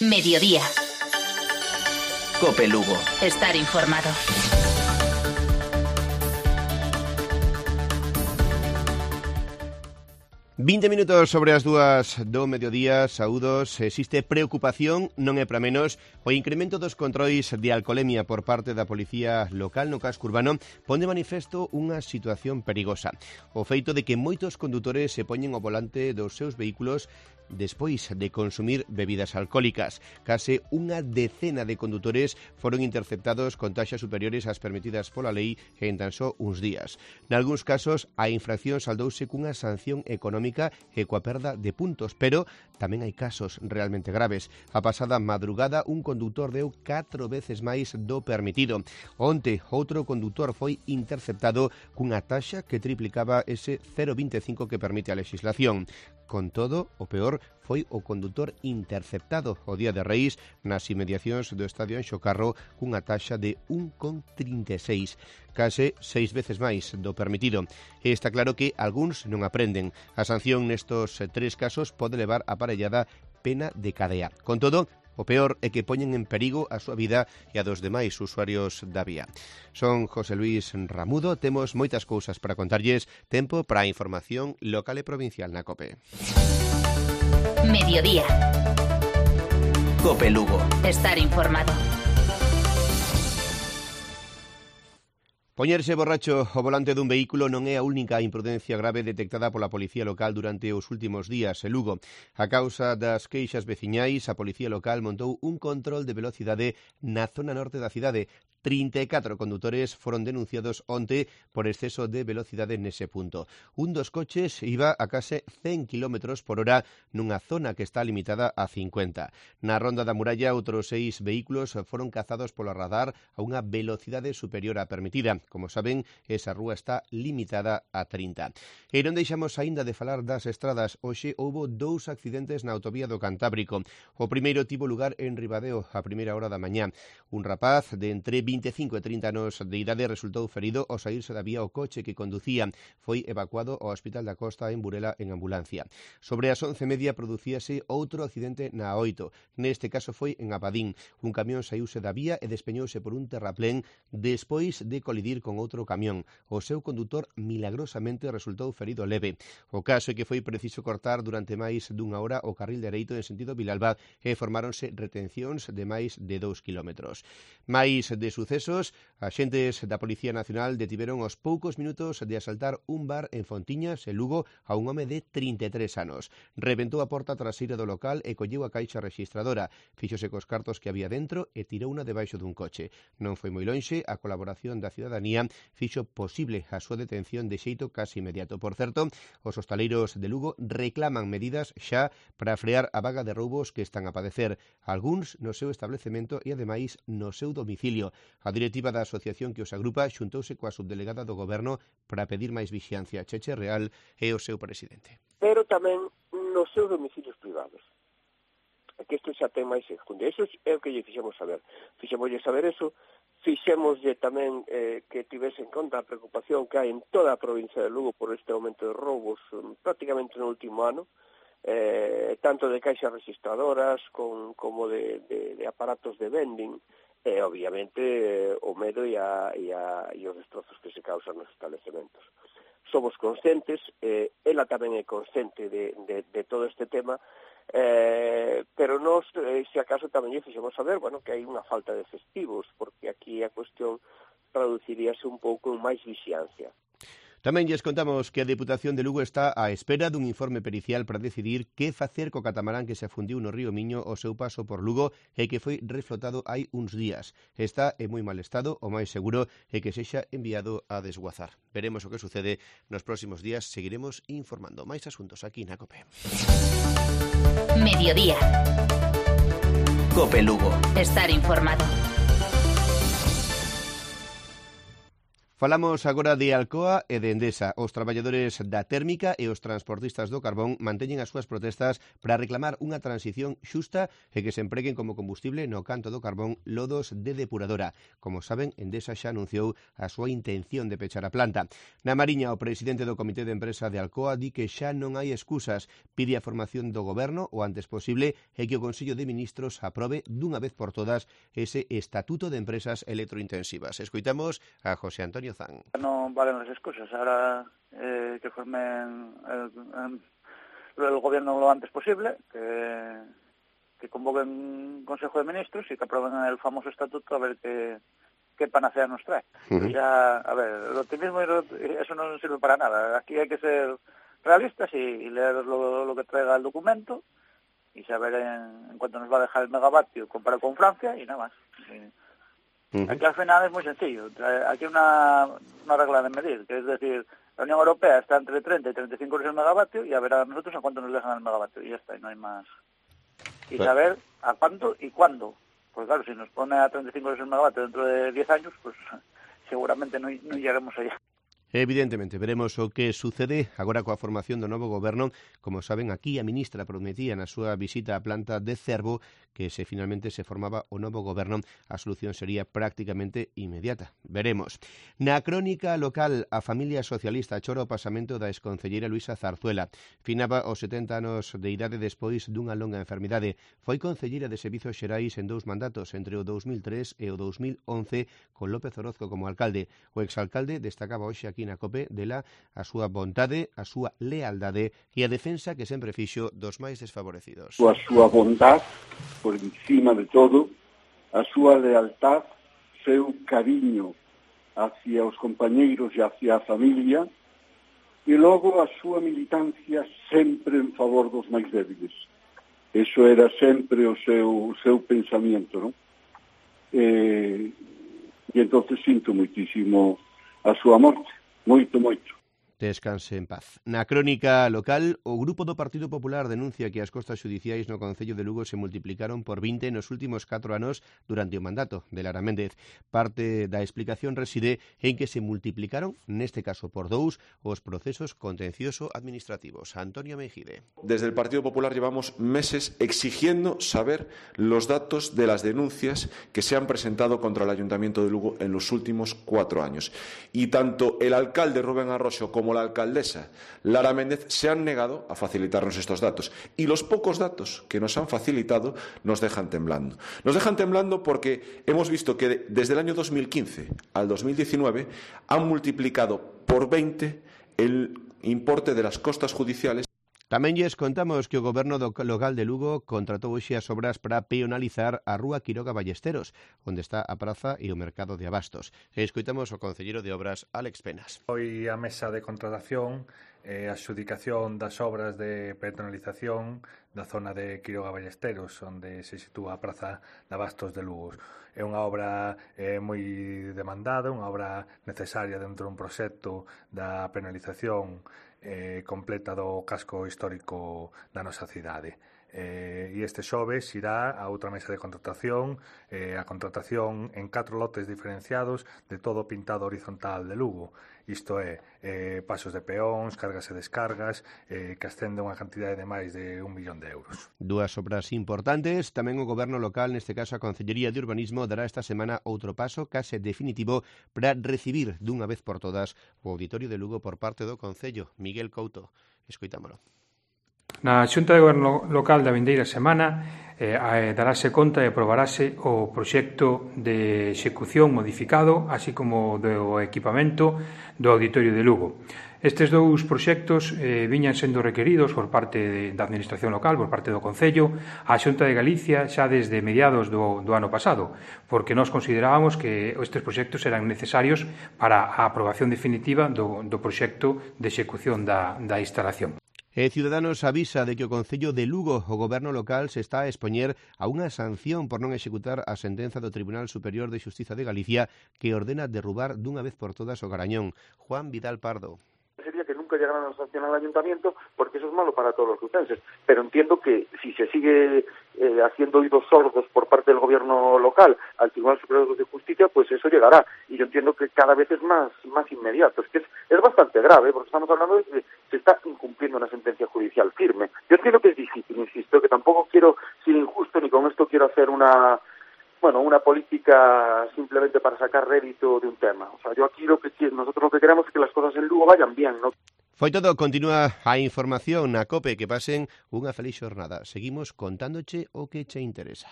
Mediodía. Cope Lugo. Estar informado. ...20 minutos sobre as 2 do mediodía, saúdos. Existe preocupación, non é para menos, o incremento dos controis de alcolemia por parte da policía local no casco urbano pon de manifesto unha situación perigosa. O feito de que moitos condutores se poñen ao volante dos seus vehículos despois de consumir bebidas alcohólicas. Case unha decena de condutores foron interceptados con taxas superiores ás permitidas pola lei en tan só uns días. Nalgúns casos, a infracción saldouse cunha sanción económica e coa perda de puntos, pero tamén hai casos realmente graves. A pasada madrugada, un condutor deu 4 veces máis do permitido. Onte, outro condutor foi interceptado cunha taxa que triplicaba ese 0,25 que permite a legislación. Con todo, o peor foi o condutor interceptado o día de Reis nas inmediacións do estadio Anxo Carro cunha taxa de 1,36, case 6 veces máis do permitido. E está claro que algúns non aprenden. A sanción nestos 3 casos pode levar aparellada pena de cadea. Con todo, o peor é que poñen en perigo a súa vida e a dos demais usuarios da vía. Son José Luis Ramudo, temos moitas cousas para contarlles, tempo para a información local e provincial na COPE. Mediodía. Cope Lugo. Estar informado. Poñerse borracho ao volante dun vehículo non é a única imprudencia grave detectada pola policía local durante os últimos días en Lugo. A causa das queixas veciñais, a policía local montou un control de velocidade na zona norte da cidade. 34 condutores foron denunciados onte por exceso de velocidade nese punto. Un dos coches iba a case 100 km por hora nunha zona que está limitada a 50. Na Ronda da Muralla, outros 6 vehículos foron cazados polo radar a unha velocidade superior á permitida. Como saben, esa rúa está limitada a 30. E non deixamos aínda de falar das estradas. Hoxe houbo 2 accidentes na autovía do Cantábrico. O primeiro tivo lugar en Ribadeo a primeira hora da mañá. Un rapaz de entre 25 e 30 anos de idade resultou ferido ao saírse da vía o coche que conducía. Foi evacuado ao Hospital da Costa en Burela en ambulancia. Sobre as 11:30 producíase outro accidente na A8. Neste caso foi en Abadín. Un camión saíuse da vía e despeñouse por un terraplén despois de colidir con outro camión. O seu condutor milagrosamente resultou ferido leve. O caso é que foi preciso cortar durante máis dunha hora o carril dereito en sentido Vilalba e formáronse retencións de máis de 2 kilómetros. Máis de sucesos, axentes da Policía Nacional detiveron aos poucos minutos de asaltar un bar en Fontiñas, en Lugo, a un home de 33 anos. Rebentou a porta traseira do local e colleu a caixa registradora. Fíxose cos cartos que había dentro e tirouna debaixo dun coche. Non foi moi lonxe, a colaboración da cidadanía fixo posible a súa detención de xeito casi inmediato. Por certo, os hostaleiros de Lugo reclaman medidas xa para frear a vaga de roubos que están a padecer, algúns no seu establecemento e ademais no seu domicilio. A directiva da asociación que os agrupa xuntouse coa subdelegada do Goberno para pedir máis vixiancia. Cheche Real é o seu presidente. Pero tamén nos seus domicilios privados. Que isto xa ten máis enjundia. Iso é o que lle fixemos saber. Fixemoslle saber eso, fixemoslle tamén que tivese en conta a preocupación que hai en toda a provincia de Lugo por este aumento de roubos prácticamente no último ano, tanto de caixas registradoras como de aparatos de vending, e obviamente o medo e os destrozos que se causan nos establecementos. Somos conscientes, ela tamén é consciente de todo este tema, pero nós, se acaso, tamén lle fixemos saber, que hai unha falta de festivos, porque aquí a cuestión traduciríase un pouco en máis vixiancia. Tamén lles contamos que a Deputación de Lugo está á espera dun informe pericial para decidir que facer co catamarán que se afundiu no río Miño ao seu paso por Lugo e que foi reflotado hai uns días. Está en moi mal estado, o máis seguro é que sexa enviado a desguazar. Veremos o que sucede nos próximos días, seguiremos informando. Máis asuntos aquí na COPE. Mediodía. Cope Lugo. Estar informado. Falamos agora de Alcoa e de Endesa. Os traballadores da térmica e os transportistas do carbón manteñen as súas protestas para reclamar unha transición xusta e que se empreguen como combustible no canto do carbón lodos de depuradora. Como saben, Endesa xa anunciou a súa intención de pechar a planta. Na Mariña, o presidente do Comité de Empresa de Alcoa di que xa non hai excusas, pide a formación do goberno o antes posible e que o Consello de Ministros aprobe dunha vez por todas ese Estatuto de Empresas Electrointensivas. Escoitamos a José Antonio Zan. Non valen as excusas, ahora que formen el gobierno lo antes posible, que convoquen un Consejo de Ministros y que aprueben el famoso estatuto a ver qué panacea nos trae. Ya, a ver, el optimismo eso no sirve para nada. Aquí hay que ser realistas y leer lo que traiga el documento y saber en cuánto nos va a dejar el megavatio comparado con Francia y nada más. Aquí al final es muy sencillo. Aquí hay una regla de medir, que es decir, la Unión Europea está entre 30 y 35 euros el megavatio y a ver a nosotros a cuánto nos dejan el megavatio y ya está, y no hay más. Y saber a cuánto y cuándo. Pues claro, si nos pone a 35 euros el megavatio dentro de 10 años, pues seguramente no llegaremos allá. Evidentemente, veremos o que sucede agora coa formación do novo goberno. Como saben, aquí a ministra prometía na súa visita á planta de Cervo que se finalmente se formaba o novo goberno, a solución sería prácticamente inmediata. Veremos. Na crónica local, a familia socialista chora o pasamento da exconcelleira Luisa Zarzuela. Finaba os 70 anos de idade despois dunha longa enfermidade. Foi concelleira de Servizos Xerais en 2 mandatos, entre o 2003 e o 2011, con López Orozco como alcalde. O exalcalde destacaba hoxe aquí na COPE dela a súa vontade, a súa lealdade e a defensa que sempre fixo dos máis desfavorecidos. A súa bondad, por encima de todo, a súa lealtad, seu cariño hacia os compañeiros e hacia a familia, e logo a súa militancia sempre en favor dos máis débiles. Eso era sempre o seu pensamento, non? E entonces sinto moitísimo a súa morte. Moito. Descanse en paz. Na crónica local, o grupo do Partido Popular denuncia que as costas xudiciais no Concello de Lugo se multiplicaron por 20 nos últimos 4 anos durante o mandato de Lara Méndez. Parte da explicación reside en que se multiplicaron, neste caso por 2, os procesos contencioso administrativos. Antonio Mejide. Desde el Partido Popular llevamos meses exigiendo saber los datos de las denuncias que se han presentado contra el Ayuntamiento de Lugo en los últimos 4 años. Y tanto el alcalde Rubén Arroxo como la alcaldesa Lara Méndez se han negado a facilitarnos estos datos. Y los pocos datos que nos han facilitado nos dejan temblando. Nos dejan temblando porque hemos visto que desde el año 2015 al 2019 han multiplicado por 20 el importe de las costas judiciales. Tamén lles contamos que o goberno local de Lugo contratou hoxe as obras para peonalizar a rúa Quiroga Ballesteros, onde está a praza e o mercado de abastos. Escoitamos o concelleiro de obras, Álex Penas. Hoy a mesa de contratación a adxudicación das obras de peatonalización da zona de Quiroga Ballesteros, onde se sitúa a praza de abastos de Lugo. É unha obra moi demandada, unha obra necesaria dentro dun proxecto da penalización completa do casco histórico da nosa cidade. E este xoves irá a outra mesa de contratación, a contratación en 4 lotes diferenciados de todo o pintado horizontal de Lugo. Isto é, pasos de peóns, cargas e descargas, que ascende unha cantidade de máis de 1 millón de euros. 2 obras importantes. Tamén o goberno local, neste caso a Concellería de Urbanismo, dará esta semana outro paso case definitivo para recibir dunha vez por todas o Auditorio de Lugo por parte do Concello. Miguel Couto, escoitámolo. Na Xunta de Goberno Local da vindeira semana darase conta e aprobarase o proxecto de execución modificado, así como do equipamento do Auditorio de Lugo. Estes 2 proxectos viñan sendo requeridos por parte da Administración Local, por parte do Concello, a Xunta de Galicia xa desde mediados do ano pasado, porque nós considerábamos que estes proxectos eran necesarios para a aprobación definitiva do proxecto de execución da instalación. Ciudadanos avisa de que o Concello de Lugo, o goberno local, se está a expoñer a unha sanción por non executar a sentenza do Tribunal Superior de Xustiza de Galicia que ordena derrubar dunha vez por todas o Garañón. Juan Vidal Pardo. Sería que nunca nunca llegarán a sancionar al ayuntamiento porque eso es malo para todos los lucenses. Pero entiendo que si se sigue haciendo oídos sordos por parte del gobierno local al Tribunal Superior de Justicia, pues eso llegará. Y yo entiendo que cada vez es más inmediato. Es que es bastante grave, porque estamos hablando de que se está incumpliendo una sentencia judicial firme. Yo entiendo que es difícil, insisto, que tampoco quiero ser injusto ni con esto quiero hacer una política simplemente para sacar rédito de un tema. O sea, yo aquí nosotros lo que queremos es que las cosas en Lugo vayan bien, ¿no? Foi todo, continúa a información na COPE, que pasen unha feliz xornada. Seguimos contándoche o que che interesa.